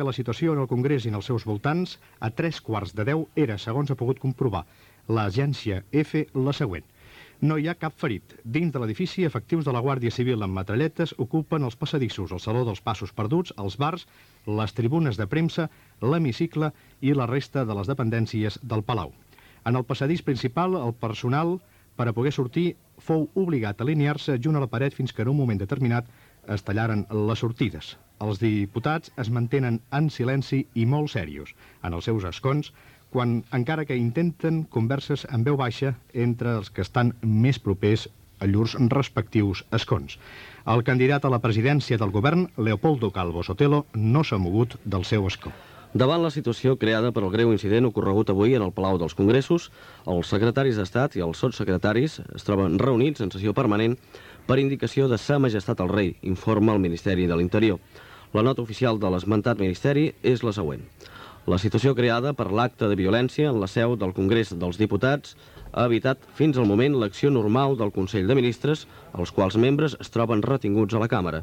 que la situació en el Congrés i en els seus voltants a 9:15 era, segons ha pogut comprovar l'agència EFE, la següent. No hi ha cap ferit. Dins de l'edifici, efectius de la Guàrdia Civil amb metralletes ocupen els passadissos, el Saló dels Passos Perduts, els bars, les tribunes de premsa, l'hemicicle i la resta de les dependències del Palau. En el passadís principal, el personal, per a poder sortir, fou obligat a alinear-se junt a la paret fins que en un moment determinat es tallaren les sortides. Els diputats es mantenen en silenci i molt serios en els seus escons, quan encara que intenten converses en veu baixa entre els que estan més propers a llurs respectius escons. El candidat a la presidència del govern, Leopoldo Calvo Sotelo, no s'ha mogut del seu escó. Davant la situació creada per el greu incident ocorregut avui en el Palau dels Congressos, els secretaris d'Estat i els sotssecretaris es troben reunits en sessió permanent per indicació de Sa Majestat el Rei, informa el Ministeri de l'Interior. La nota oficial de l'esmentat Ministeri és la següent. La situació creada per l'acte de violència en la seu del Congrés dels Diputats ha evitat fins al moment l'acció normal del Consell de Ministres, els quals membres es troben retinguts a la Càmera.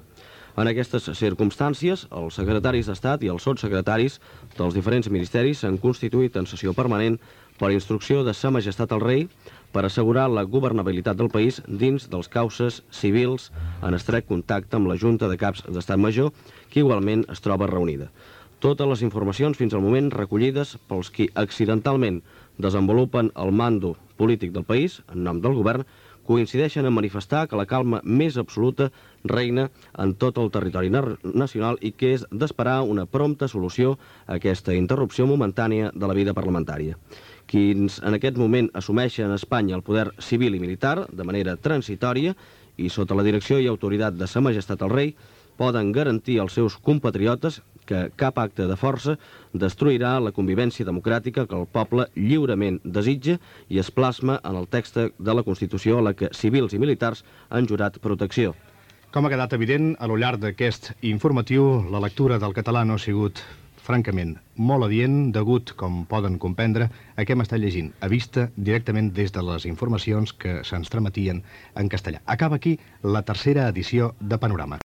En aquestes circumstàncies, els secretaris d'Estat i els sotssecretaris dels diferents ministeris s'han constituït en sessió permanent per instrucció de Sa Majestat el Rei per assegurar la governabilitat del país dins dels causes civils en estret contacte amb la Junta de Caps d'Estat Major, que igualment es troba reunida. Totes les informacions fins al moment recollides pels qui accidentalment desenvolupen el mando polític del país, en nom del govern, coincideixen en manifestar que la calma més absoluta reina en tot el territori nacional i que és d'esperar una prompta solució a aquesta interrupció momentània de la vida parlamentària. Quins en aquest moment assumeixen a Espanya el poder civil i militar de manera transitòria i sota la direcció i autoritat de Sa Majestat el Rei poden garantir als seus compatriotes que cap acte de força destruirà la convivència democràtica que el poble lliurement desitja i es plasma en el text de la Constitució a la que civils i militars han jurat protecció. Com ha quedat evident, a lo llarg d'aquest informatiu, la lectura del català no ha sigut, francament, molt adient, degut, com poden comprendre, a què m'està llegint, a vista directament des de les informacions que se'ns trametien en castellà. Acaba aquí la tercera edició de Panorama.